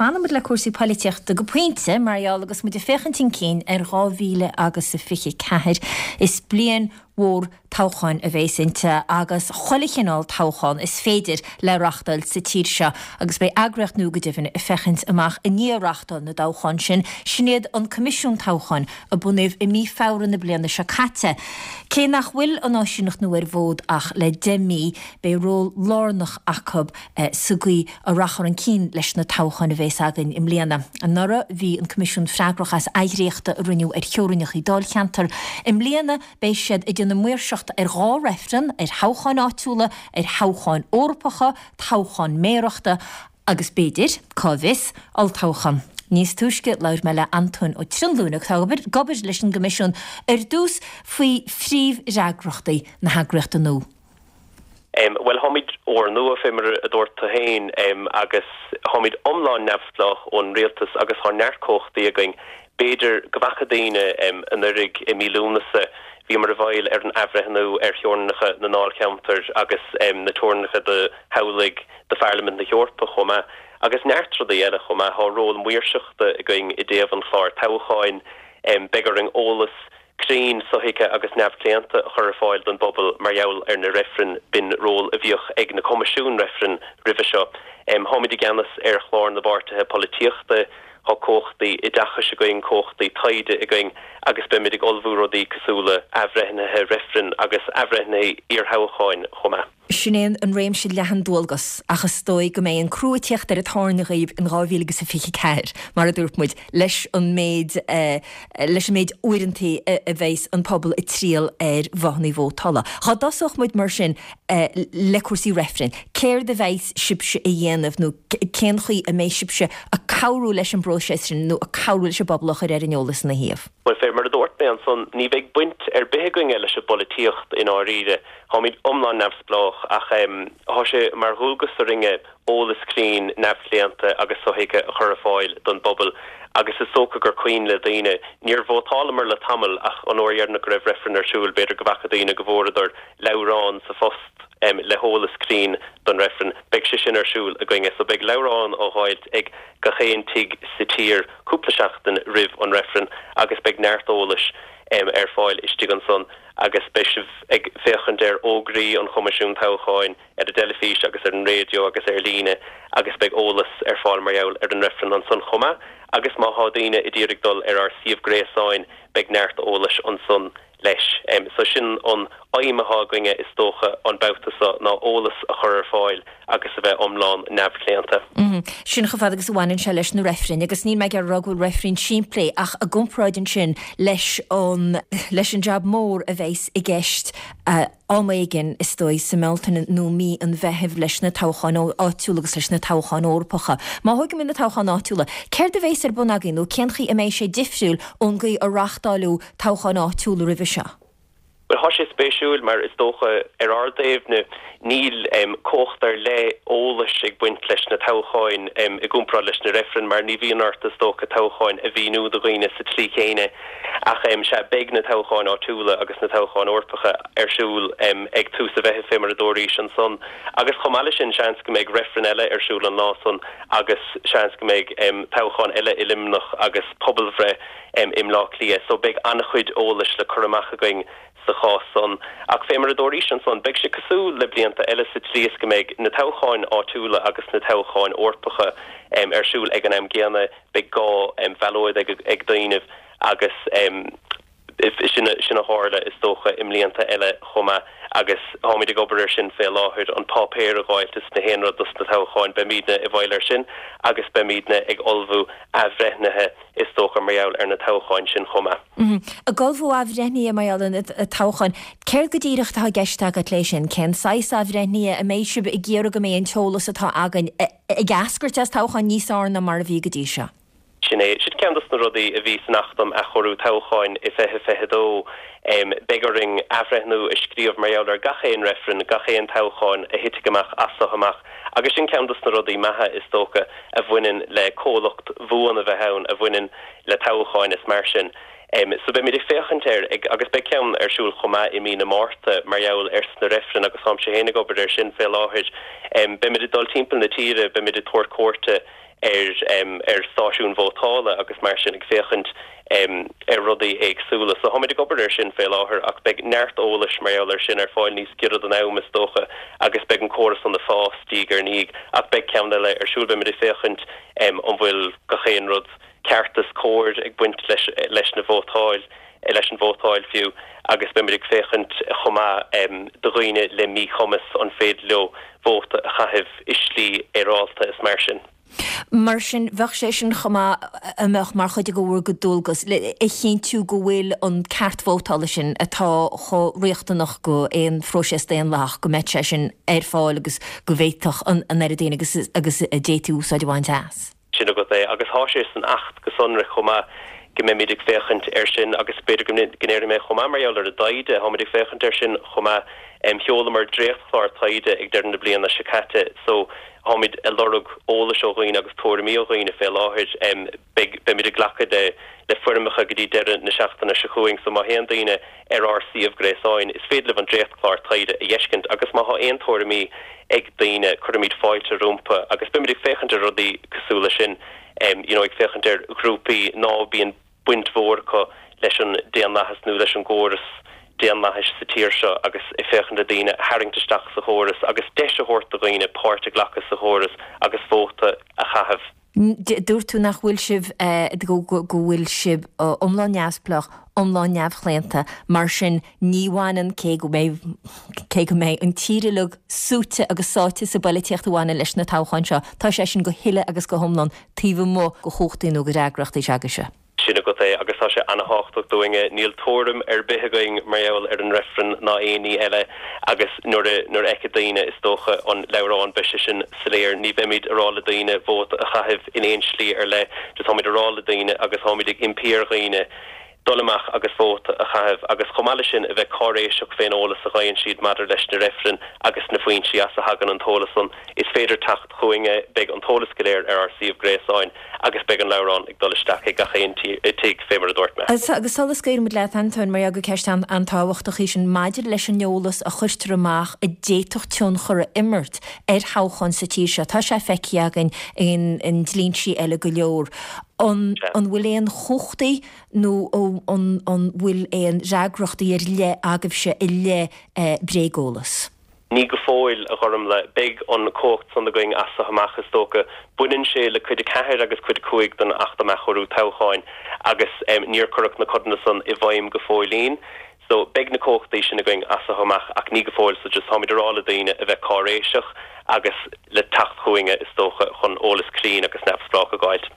Fanfaidh muid le cúrsaí poilitíochta go pointe, mar gheall agus muid ag féachaint chun cinn ar 2024. Is bliain mhór toghcháin a bhéas inti agus chuile chineál toghchán is féidir le reachtáil sa tír seo agus beidh eagraíocht nua go deimhin ag féachaint amach i ndiaidh reachtáil na dtoghchán sin, sin iad an Coimisiún Toghcháin a bunaíodh i mí Feabhra na bliana seo caite. Cé nach bhfuil an áisíneacht nua ar an bhfód ach le 10 mí, beidh ról lárnach acu sa gcaoi a rachfar chun cinn leis na toghcháin a bhéas againn i mbliana. Anuraidh bhí an Coimisiún freagrach as oidhríochta a rinneadh ar theorainneacha dáilcheantar. I mbliana beidh siad ag déanamh maoirseachta ar dhá reifreann, ar thoghcháin áitiúla, ar thoghcháin Eorpacha, toghchán méarachta agus b'fhéidir, cá bhfios, olltoghchán. Níos túisce labhair mé le Antóin Ó Trionlúin atá ag obair leis an gCoimisiún ar dtús faoi phríomhfhreagrachtaí na heagraíochta nua. Bhuel, táimid úrnua, fé mar a dúirt tú féin, agus táimid iomlán neamhspleách ón rialtas agus tá neart cumhachtaí againn. B'fhéidir go bhfaca daoine anuraidh i mí Lúnasa, bhíomar i bhfeighil ar an athbhreithniú ar theorainneacha na ndáilcheantar agus na teorainneacha do thoghlaigh do Pharlaimint na hEorpa chomh maith, agus neart rudaí eile chomh maith. Tá ról maoirseachta againn i dtaobh an chláir toghcháin. Beidh orainn eolas cruinn, sothuigthe agus neamhchlaonta a chur ar fáil don bpobal mar gheall ar na reifrinn. B'in ról a bhíodh ag na coimisiúin reifrinn roimhe seo. Táimid i gceannas ar chlár na bpáirtithe polaitíochta, tá cumhachtaí oideachais againn, cumhachtaí taighde againn agus beimid ag ullmhú rudaí cosúil le athbhreithnithe reifrinn agus athbhreithnithe iarthoghcháin chomh maith. Sin é an réimse leathan dualgas ach is dóigh go mbeidh an crú ag tíocht ar an tairne dhaoibh in 2024, mar a dúirt muid, leis an méid leis an méid uaireantaí a bheidhs an pobal ag triall ar bhothannaí vótála. Dhá dtosódh muid mar sin le cúrsaí reifrinn, céard a bheidhs sibhse a dhéanamh nó cén chaoi a mbeidh sibhse ag cabhrú leis an bpróiseas sin nó ag cabhrú leis an bpobal a chur ar an eolas ina thaobh? Bhuel, fé mar a dúirt mé ansan, ní bheidh baint ar bith againne leis an bpolaitíocht i ndáiríre. Táimid iomlán neamhspleách ach tá sé mar dhualgas orainne eolas cruinn, neamhchlaonta agus sothuigthe a chur ar fáil don bpobal agus is dócha gur cuimhin le daoine, níor vótálamar le tamall ach an uair dheireanach go raibh reifreann ar siúl, b'fhéidir go bhfaca daoine go bhfuaireadar leabhrán sa phost le heolas cruinn don reifreann. Beidh sé sin ar siúl againne so beidh leabhrán á dháilt ag gach aon tigh sa tír cúpla seachtain roimh an reifreann agus beidh neart eolais ar fáil istigh ansan. agus beidh sibh ag féachaint ar fhógraí an Choimisiúin Toghcháin ar an dteilifís agus ar an raidió agus ar líne agus beidh eolas ar fáil mar gheall ar an reifreann ansan chomh maith agus má thá daoine a d'iarraidh dul ar ár suíomh gréasáin beidh neart eolais ansan leis. So sin an aidhm athá againne is dócha an babhta so ná eolas a chur ar fáil agus a bheith iomlán neamhchlaonta. Sin chomh fada agus a bhaineann sé leis na reifrinn, agus níl mé ag iarraidh a rá go bhfuil reifrinn simplí, ach i gcomparáid ansin leis an leis an jab mór a bheas i gceist am éigin, is dóigh, sa mBealtaine nó mí an Mheithimh leis na toghcháin áitiúla agus leis na toghcháin Eorpacha. Má thógaimid na toghcháin áitiúla, céard a bheas ar bun agaibh nó cén chaoi a mbeidh sé difriúil ón gcaoi a reáchtáileadh toghcháin áitiúla roimhe seo? Bhuel, thá sé spéisiúil mar is dócha ar ár dtaobhne níl cumhacht ar leith eolais ag baint leis na toghcháin i gcomparáid leis na reifrinn mar ní bhíonn ort is dócha toghcháin a mhíniú do dhaoine sa tslí chéanna. Ach sea, beidh na toghcháin áitiúla agus na toghcháin Eorpacha ar siúl ag tús an Mheithimh fé mar a dúraís ansan. Agus chomh maith leis sin seans go mbeidh reifreann eile ar siúl an lá san agus seans go mbeidh toghchán eile i Luimneach agus pobalbhreith i mBleá Cliath so beidh an-chuid eolais le cur amach againn sa chás san. Ach fé mar a dúraís ansan, beidh sé cosúil le blianta eile sa tslí is go mbeidh na toghcháin áitiúla agus na toghcháin Eorpacha ar siúl ag an am gcéanna, beidh gá ballóid ag daoinibh agus sin a tharla is dócha i mblianta eile chomh maith agus táimid ag obair ar sin fé láthair, an páipéar a dháilt is na haon rud dos na toghcháin, beimídne i bhfeighil ar sin agus beimídne ag ullmhú athbhreithnithe. is dócha, mar gheall ar na toghcháin sin chomh maith. Ag ullmhú athbhreithnithe mar gheall ar na toghcháin, céard go díreach atá i gceist agat léi sin? Cén saghas athbhreithnithe? An mbeidh sibh ag iarraidh go mbeidh an t-eolas atá againn ag eascairt as toghcháin níos fearr ná mar a bhí go dtí seo? Sin é. Sin ceann dos na rudaí a bhí san Acht um Athchóiriú Toghcháin i 2022. Beidh orainn athbhreithniú a scríobh mar gheall ar gach aon reifreann, gach aon toghchán a thitfidh amach as so amach. Agus sin ceann dos na rudaí maithe, is dócha, a bhaineann le comhlacht bhuan a bheith ann, a bhaineann le toghcháin is mar sin. So beimid ag féachaint air, agus beidh ceann ar siúl chomh maith i mí na Márta mar gheall ar sna reifrinn agus táimse féin ag obair air sin fé láthair. Beimid ag dul timpeall na tíre, beimid ag tabhairt cuairte. ar ar stáisiúin vótála agus mar sin ag féachaint ar rudaí éagsúla. So táimid ag obair ar sin fé láthair ach beidh neart eolais mar gheall ar sin ar fáil níos giorra don am is dócha agus beidh an córas san ag fás diaidh ar ndiaidh ach beidh ceann eile ar siúl. Beimid ag féachaint an bhfuil gach aon rud ceart is cóir ag baint leis leis na vótáil leis an vótáil fiú agus beimid ag féachaint chomh maith do dhaoine le míchumas an féidir leo vóta a chaitheamh i slí fhéaráilte is mar sin. Mar sin, bheadh sé sin chomh maith a mbeadh mar chuid de bhur gcuid dualgas le a chinntiú go bhfuil an ceart vótála sin atá chomh riachtanach go aon phróiseas daonlathach, go mbeadh sé sin ar fáil agus go bhféadfadh an oiread daoine agus agus a d'fhéadfaí úsáid a bhaint as. Sin agat é. Agus thá sé san Acht go sonrach chomh maith go mbeimid ag féachaint air sin agus b'fhéidir go ndéarfaidh mé chomh maith mar gheall ar an dtaighde, tháimid ag féachaint air sin chomh maith. Sheolamar dréachtchlár taighde ag deireadh na bliana seo caite so tháimid ag lorg eolais ó dhaoine agus tuairimí ó dhaoine fé láthair. Beidh, beimid ag glacadh le le foirmeacha go dtí deireadh na seachtaine seo chugainn so má théann daoine ar ár suíomh gréasáin is féidir libh an dréachtchlár taighde a dh'fheiscint agus má thá aon tuairimí ag daoine, cuirfimid fáilte rompu agus beimid ag féachaint ar rudaí cosúil leis sin, you know ag féachaint ar ghrúpaí ná bíonn baint mhór acu leis an daonlathas nó leis an gcóras daonlathais sa tír seo agus ag féachaint le daoine a tharraingt isteach sa chóras agus deis a thabhairt do dhaoine páirt a ghlacadh sa chóras agus vóta a chaitheamh. Dúirt tú nach bhfuil sibh, go bhfuil sibh iomlán neamhspleách, iomlán neamhchlaonta, mar sin ní bhaineann, cé go mbeidh, cé go mbeidh an tír uilig súite agus sáite sa bpoilitíocht a bhaineann leis na toghcháin seo, tá sé sin go huile agus go hiomlán taobh amuigh de chumhachtaí nó de fhreagrachtaí s'agaibhse. Sin agat é, agus tá sé ana-thábhachtach dúinne. Níl tuairim ar bith againn mar gheall ar an reifreann ná aon ní eile agus nuair a, nuair a fheicfidh daoine, is dócha, an leabhrán, beidh sé sin soiléir. Ní bheimid a rá le daoine vóta a chaitheamh in aon slí ar leith, just táimid a rá le daoine agus táimid ag impí ar dhaoine dul amach agus vóta a chaitheamh agus chomh maith leis sin a bheith cáiréiseach fén eolas a gheibheann siad maidir leis na reifrinn agus na foinsí as a thagann an t-eolas san. Is féidir teacht chugainne, beidh an t-eolas go léir ar ár suíomh gréasáin agus beidh an leabhrán ag dul isteach ag gach aon tigh fé mar a dúirt mé. Agus sula scaoilimid leat, Antóin, mar gheall gur ceist an-tábhachtach í sin maidir leis an eolas a chuirtear amach a d'fhéadfadh tionchar a imirt ar thoghcháin sa tír seo, tá sé feicthe againn in ndlínsí eile go leor. An bhfuil aon chumhachtaí nó an bhfuil aon fhreagrachtaí ar leith agaibhse i leith bréageolas? Ní go fóill, a Ghormlaith. Beidh an chumhacht san againn as so amach, is dócha. Baineann sé le Cuid 4 agus Cuid 5 den Acht um Athchóiriú Toghcháin agus níor cuireadh na codanna san i bhfeidhm go fóillín. So, beidh na cumhachtaí sin againn as so amach ach ní go fóill. So, just táimid a rá le daoine a bheith cáiréiseach agus le teacht chugainne, is dócha, chun eolas cruinn agus neamhspleách a dh'fháilt.